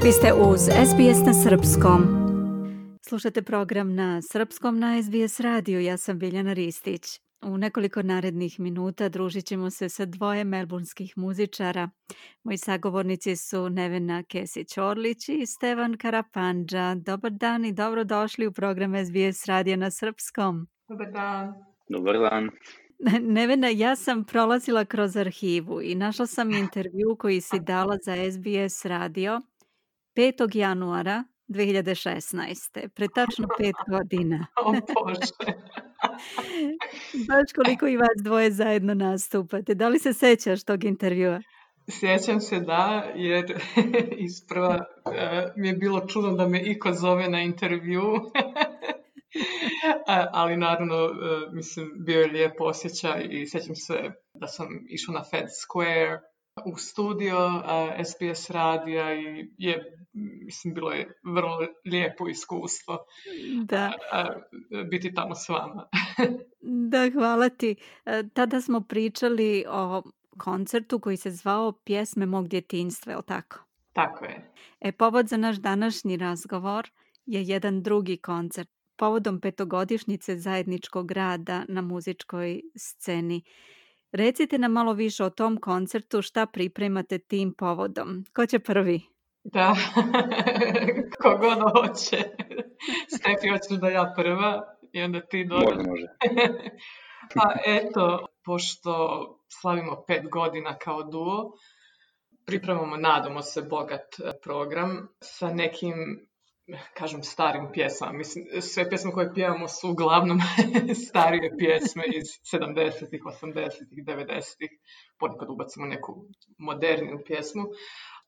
Vi ste uz SBS na srpskom. Slušate program na srpskom na SBS radiju. Ja sam Biljana Ristić. U nekoliko narednih minuta družit ćemo se sa dvoje melburnskih muzičara. Moji sagovornici su Nevena Kesić-Orlić i Stevan Karapandža. Dobar dan i dobrodošli u program SBS radija na srpskom. Dobar dan. Dobar dan. Nevena, ja sam prolazila kroz arhivu i našla sam intervju koji si dala za SBS radio 5. januara 2016. Pre tačno 5 godina. O Bože. Baš koliko i vas dvoje zajedno nastupate. Da li se sećaš tog intervjua? Sjećam se da, jer isprva mi je bilo čudno da me iko zove na intervju. Ali naravno, mislim, bio je lijep osjećaj i sjećam se da sam išla na Fed Square u studio SBS radija i mislim, bilo je vrlo lijepo iskustvo Da. biti tamo s vama. Da, hvala ti. Tada smo pričali o koncertu koji se zvao Pjesme mog djetinjstva, je li tako? Tako je. Povod za naš današnji razgovor je jedan drugi koncert povodom 5-godišnjice zajedničkog rada na muzičkoj sceni. Recite nam malo više o tom koncertu, šta pripremate tim povodom. Ko će prvi? Da, kogod hoće. Stefi, hoćeš da ja prva i onda ti dođe. Može. Pa eto, pošto slavimo 5 godina kao duo, pripremamo, nadamo se, bogat program sa nekim, kažem, starim pjesmama. Mislim, sve pjesme koje pjevamo su uglavnom starije pjesme iz 70-ih, 80-ih, 90-ih. Ponekad ubacimo neku moderniju pjesmu.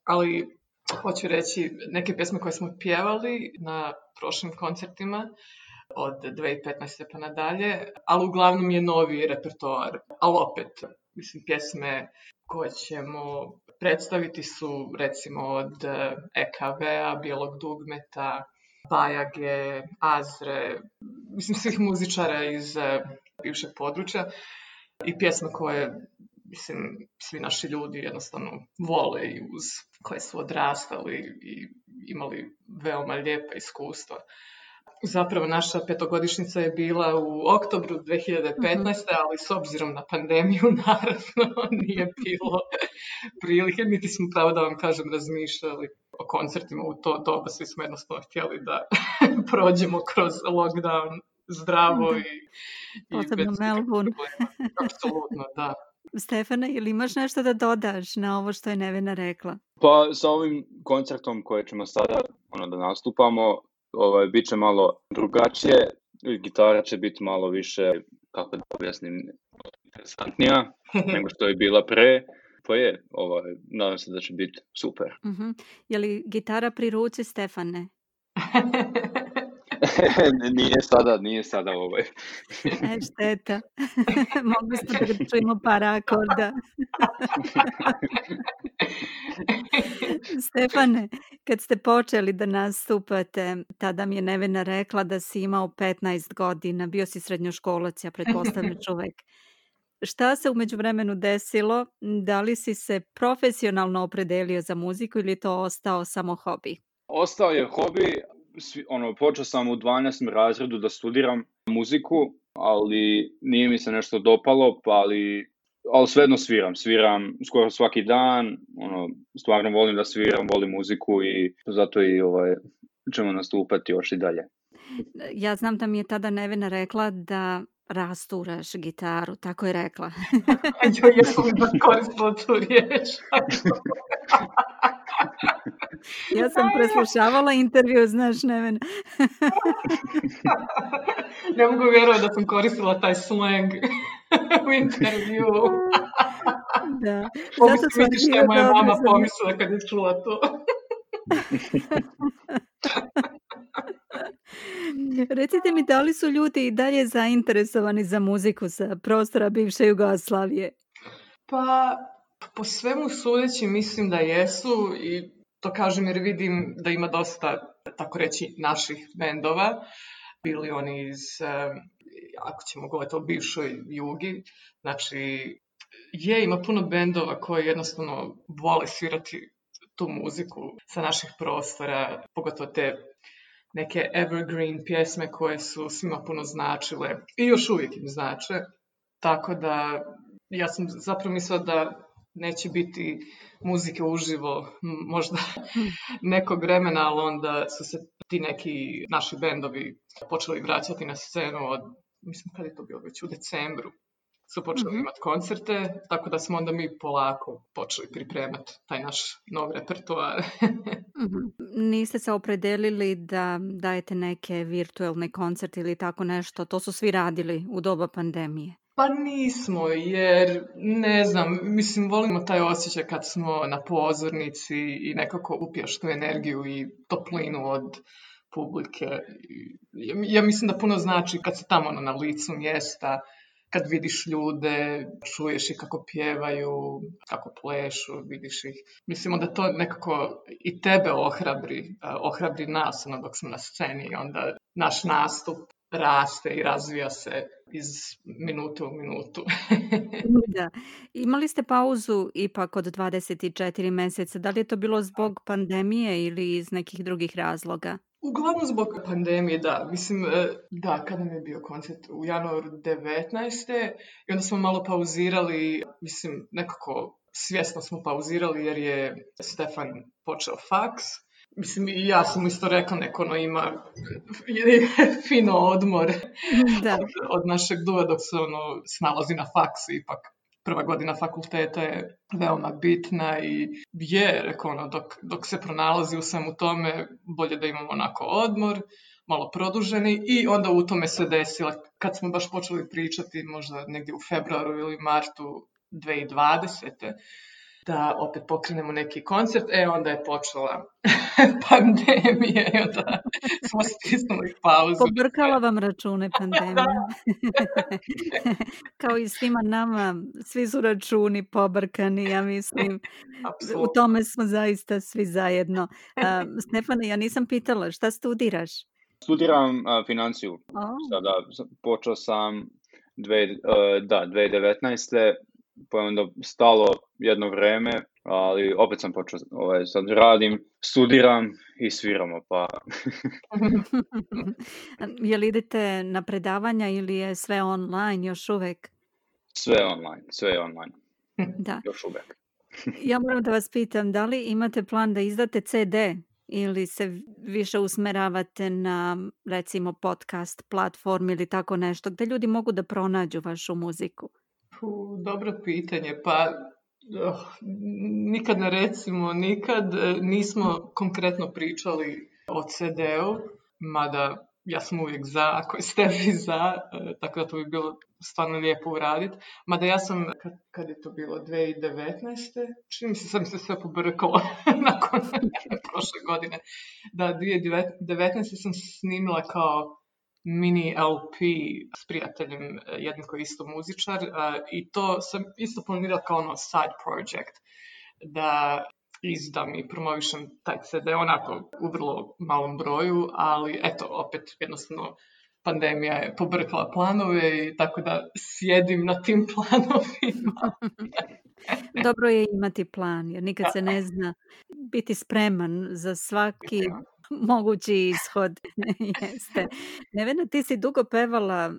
Ali hoću reći, neke pjesme koje smo pjevali na prošlim koncertima od 2015. pa nadalje, ali uglavnom je novi repertoar. Ali opet, mislim, pjesme koje ćemo predstaviti su recimo od EKV-a, Bijelog dugmeta, Bajage, Azre, mislim, svih muzičara iz bivšeg područja i pjesme koje, mislim, svi naši ljudi jednostavno vole i uz koje su odrastali i imali veoma lijepa iskustva. Zapravo naša 5-godišnjica je bila u oktobru 2015. Ali s obzirom na pandemiju naravno nije bilo prilike, niti smo, pravo da vam kažem, razmišljali o koncertima u to doba. Svi smo jednostavno htjeli da prođemo kroz lockdown zdravo i posebno Melbourne. Apsolutno, da. Stefane, ili imaš nešto da dodaš na ovo što je Nevena rekla? Pa sa ovim koncertom koje ćemo sada da nastupamo, bit će malo drugačije. Gitara će biti malo više, kako da objasnim, interesantnija nego što je bila pre. Pa nadam se da će biti super. Je li gitara pri ruci, Stefane? Nije sada Šteta. Mogli smo da čujemo par akorda. Stefane, kad ste počeli da nastupate, tada mi je Nevena rekla da si imao 15 godina, bio si srednjoškolac, ja pretpostavljam čovek. Šta se u međuvremenu desilo? Da li si se profesionalno opredelio za muziku ili je to ostao samo hobi? Ostao je hobi. Počeo sam u 12. razredu da studiram muziku, ali nije mi se nešto dopalo, ali svejedno sviram skoro svaki dan, stvarno volim da sviram, volim muziku i zato i ćemo nastupati još i dalje. Ja znam da mi je tada Nevena rekla da rasturaš gitaru, tako je rekla. Ja sam da koristila tu riječ. Ja sam preslušavala intervju, znaš, Nevena. Ne mogu vjerovati da sam koristila taj slang u intervju. Da. Mogu se vidjeti što je moja mama pomislila kad je čula to. Recite mi, da li su ljudi i dalje zainteresovani za muziku sa prostora bivše Jugoslavije? Pa, po svemu sudeći mislim da jesu i to kažem jer vidim da ima dosta, tako reći, naših bendova. Bili oni iz, ako ćemo govoriti o bivšoj Jugi, znači ima puno bendova koji jednostavno vole svirati tu muziku sa naših prostora, pogotovo te neke evergreen pjesme koje su svima puno značile i još uvijek im znače. Tako da ja sam zapravo mislila da neće biti muzike uživo možda nekog vremena, ali onda su se ti neki naši bendovi počeli vraćati na scenu od, mislim kad je to bilo već u decembru, su počeli imati koncerte, tako da smo onda mi polako počeli pripremati taj naš nov repertoar. Niste se opredelili da dajete neke virtualne koncerte ili tako nešto? To su svi radili u doba pandemije. Pa nismo, jer ne znam, mislim, volimo taj osjećaj kad smo na pozornici i nekako upiješ tu energiju i toplinu od publike. Ja mislim da puno znači kad se tamo na licu mjesta, kad vidiš ljude, čuješ ih kako pjevaju, kako plešu, vidiš ih. Mislim da to nekako i tebe ohrabri nas dok smo na sceni i onda naš nastup raste i razvija se iz minute u minutu. Da. Imali ste pauzu ipak od 24 mjeseca. Da li je to bilo zbog pandemije ili iz nekih drugih razloga? Uglavnom zbog pandemije, da. Mislim, da, kada mi je bio koncert u januaru 19. I onda smo malo pauzirali, mislim, nekako svjesno smo pauzirali jer je Stefan počeo faks. Mislim, i ja sam isto rekla, neko ima fino odmor od našeg duha dok se snalazi na faksu. Ipak prva godina fakulteta je veoma bitna i rekao, dok se pronalazi u svemu tome, bolje da imamo onako odmor, malo produženi i onda u tome se desilo, kad smo baš počeli pričati, možda negdje u februaru ili martu 2020. Da opet pokrenemo neki koncert, onda je počela pandemija i onda smo stisnuli pauzu. Pobrkala vam račune pandemija. Kao i svima nama, svi su računi pobrkani, ja mislim. U tome smo zaista svi zajedno. Stefane, ja nisam pitala, šta studiraš? Studiram financiju. Sada počeo sam 2019. Pa je onda stalo jedno vreme, ali opet sam počeo, sad radim, studiram i sviramo, pa... Je li idete na predavanja ili je sve online još uvek? Sve je online. Da. Još uvek. Ja moram da vas pitam, da li imate plan da izdate CD ili se više usmeravate na, recimo, podcast platform ili tako nešto, gde ljudi mogu da pronađu vašu muziku? Dobro pitanje, pa nikad ne recimo, nikad nismo konkretno pričali o CD-u, mada ja sam uvijek za, ako ste vi za, tako da to bi bilo stvarno lijepo uraditi. Mada ja sam, kad je to bilo, 2019. Čini mi se, sam se sve pobrkala nakon prošle godine. Da, 2019. sam snimila kao mini LP s prijateljem, jednim koji je isto muzičar, i to sam isto planirala kao side project, da izdam i promovišem taj CD onako u vrlo malom broju, ali eto, opet jednostavno pandemija je pobrkala planove i tako da sjedim na tim planovima. Dobro je imati plan, jer nikad se ne zna, biti spreman za svaki mogući ishod. Jeste. Nevena, ti si dugo pevala,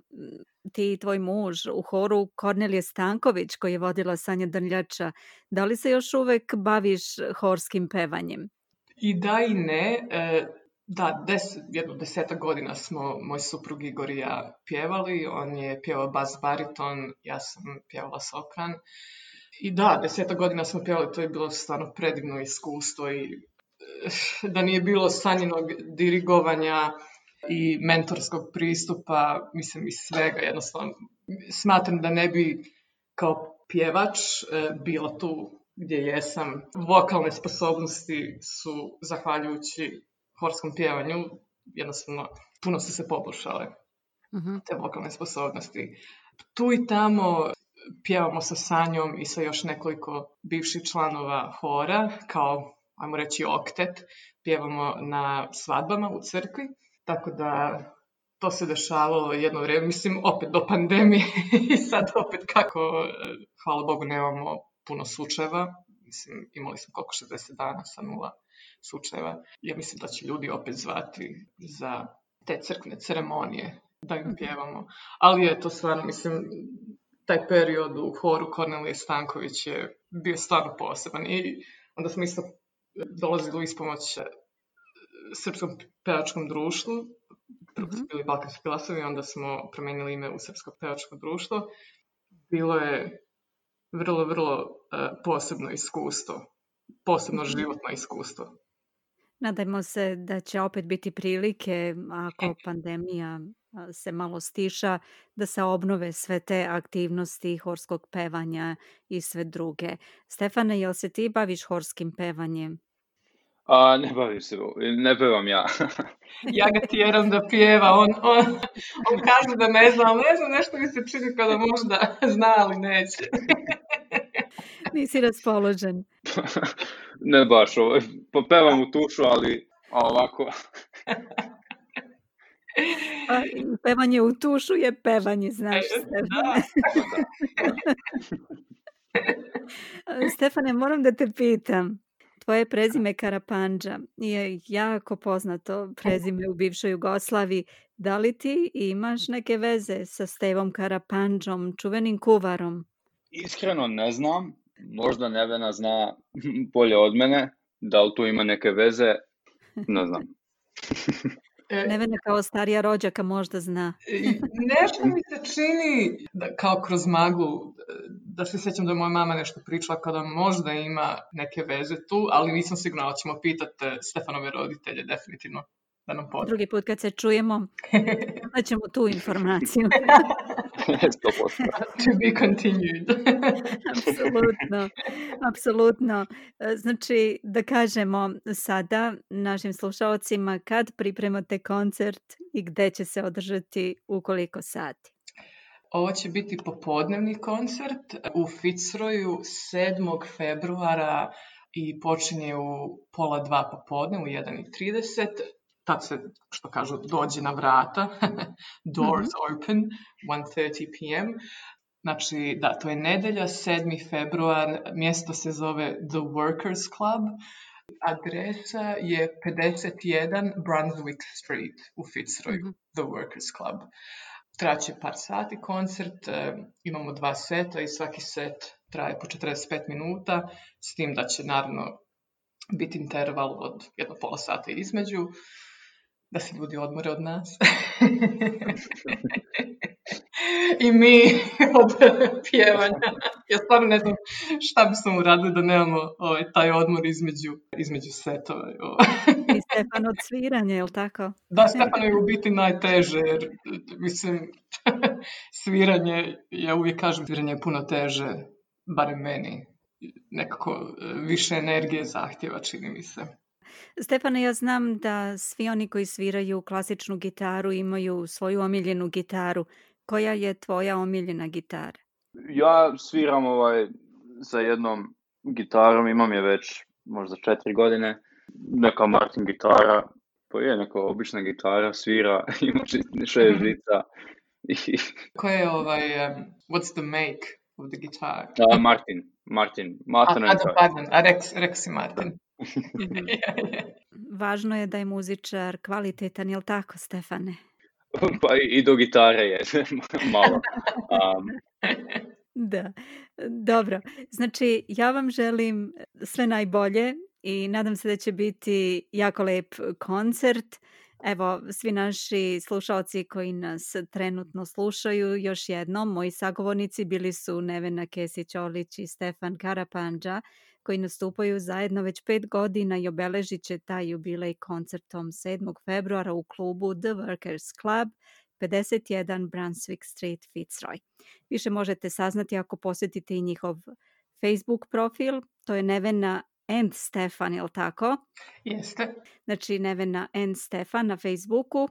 ti i tvoj muž, u horu Kornelije Stanković koji je vodila Sanja Drljača. Da li se još uvek baviš horskim pevanjem? I da i ne. Da, jedno 10 godina smo moj suprug Igor i ja pjevali. On je pjevao bas bariton, ja sam pjevala sopran. I da, 10 godina smo pjevali, to je bilo stvarno predivno iskustvo i da nije bilo Sanjinog dirigovanja i mentorskog pristupa, mislim, iz svega, jednostavno smatram da ne bi kao pjevač bila tu gdje jesam. Vokalne sposobnosti su, zahvaljujući horskom pjevanju, jednostavno puno su se poboljšale, te vokalne sposobnosti. Tu i tamo pjevamo sa Sanjom i sa još nekoliko bivših članova hora, kao, ajmo reći, oktet, pjevamo na svadbama u crkvi, tako da to se dešavalo jedno vrijeme, mislim, opet do pandemije i sad opet kako, hvala Bogu, nemamo puno slučajeva, Mislim, imali smo koliko 60 dana sa 0 slučajeva. Ja mislim da će ljudi opet zvati za te crkvene ceremonije da im pjevamo. Ali je to stvarno, mislim, taj period u horu Kornelije Stanković je bio stvarno poseban. I onda smo isto dolazili u ispomoć Srpskom pevačkom društvu. Prvo su bili Balkanski glasovi, onda smo promijenili ime u Srpsko pevačko društvo. Bilo je vrlo, vrlo posebno iskustvo. Posebno životno iskustvo. Nadajmo se da će opet biti prilike, ako pandemija se malo stiša, da se obnove sve te aktivnosti horskog pevanja i sve druge. Stefane, jel se ti baviš horskim pevanjem? Ne bavim se, ne pevam ja. Ja ga tjeram da pjeva, on kaže da ne zna, ali ne znam, nešto mi se čini kada možda zna, ali neće. Nisi raspoložen. Ne baš, pevam u tušu, ali ovako. Pevanje u tušu je pevanje, znaš, Stefane. Stefane, moram da te pitam. Tvoje prezime Karapandža je jako poznato prezime u bivšoj Jugoslaviji. Da li ti imaš neke veze sa Stevom Karapandžom, čuvenim kuvarom? Iskreno ne znam. Možda Nevena zna bolje od mene. Da li tu ima neke veze? Ne znam. Nevena kao starija rođaka možda zna. Nešto mi se čini, kao kroz maglu, da se sjećam da je moja mama nešto pričala kada možda ima neke veze tu, ali nisam sigurna, ali ćemo pitati Stefanove roditelje definitivno da nam potrebno. Drugi put kad se čujemo, ćemo tu informaciju. 100%. To be continued. Apsolutno. Znači, da kažemo sada našim slušalcima kad pripremate koncert i gde će se održati u koliko sati. Ovo će biti popodnevni koncert u Fitzroyu 7. februara i počinje u 1:30 popodne, u 1:30. Tad se, što kažu, dođe na vrata, doors open, 1:30 p.m. Znači, da, to je nedelja, 7. februar, mjesto se zove The Workers Club, adresa je 51 Brunswick Street u Fitzroyu, The Workers Club. Traće par sati koncert, imamo 2 seta i svaki set traje po 45 minuta, s tim da će naravno biti interval od 1,5 sata između, da se ljudi odmore od nas. I mi od pjevanja. Ja stvarno ne znam šta bismo uradili da nemamo taj odmor između setova. I Stefan od sviranja, je li tako? Da, Stefan je u biti najteže, jer mislim, sviranje, ja uvijek kažem, sviranje je puno teže, barem meni, nekako više energije zahtjeva, čini mi se. Stefane, ja znam da svi oni koji sviraju klasičnu gitaru imaju svoju omiljenu gitaru. Koja je tvoja omiljena gitara? Ja sviram sa jednom gitarom, imam je već možda 4 godine. Neka Martin gitara, pa je neka obična gitara, svira, ima 6 žica. Ko je what's the make of the guitar? Martin. Pardon, Rex i Martin. Važno je da je muzičar kvalitetan, je li tako, Stefane? Pa i do gitare je malo. Da, dobro. Znači, ja vam želim sve najbolje i nadam se da će biti jako lep koncert. Evo, svi naši slušalci koji nas trenutno slušaju, još jednom, moji sagovornici bili su Nevena Kesić-Orlić i Stefan Karapandža, koji nastupaju zajedno već 5 godina i obeležit će taj jubilej koncertom 7. februara u klubu The Workers Club, 51 Brunswick Street, Fitzroy. Više možete saznati ako posjetite i njihov Facebook profil, to je Nevena and Stefan, je li tako? Jeste. Znači Nevena and Stefan na Facebooku.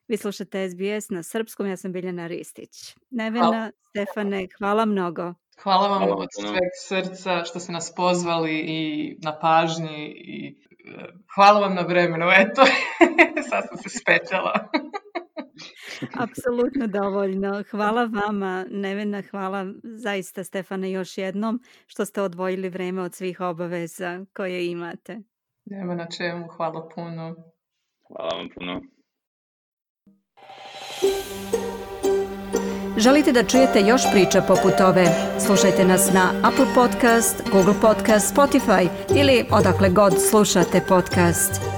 Vi slušate SBS na srpskom, ja sam Biljana Ristić. Nevena, Stefane, hvala mnogo. Hvala vam od sveg srca što ste nas pozvali i na pažnji i hvala vam na vremenu, eto, sad sam se spetljala. Apsolutno dovoljno. Hvala vama, Nevena, hvala zaista Stefane još jednom što ste odvojili vreme od svih obaveza koje imate. Nema na čemu, hvala puno. Hvala vam puno. Želite da čujete još priča poput ove? Slušajte nas na Apple Podcast, Google Podcast, Spotify ili odakle god slušate podcast.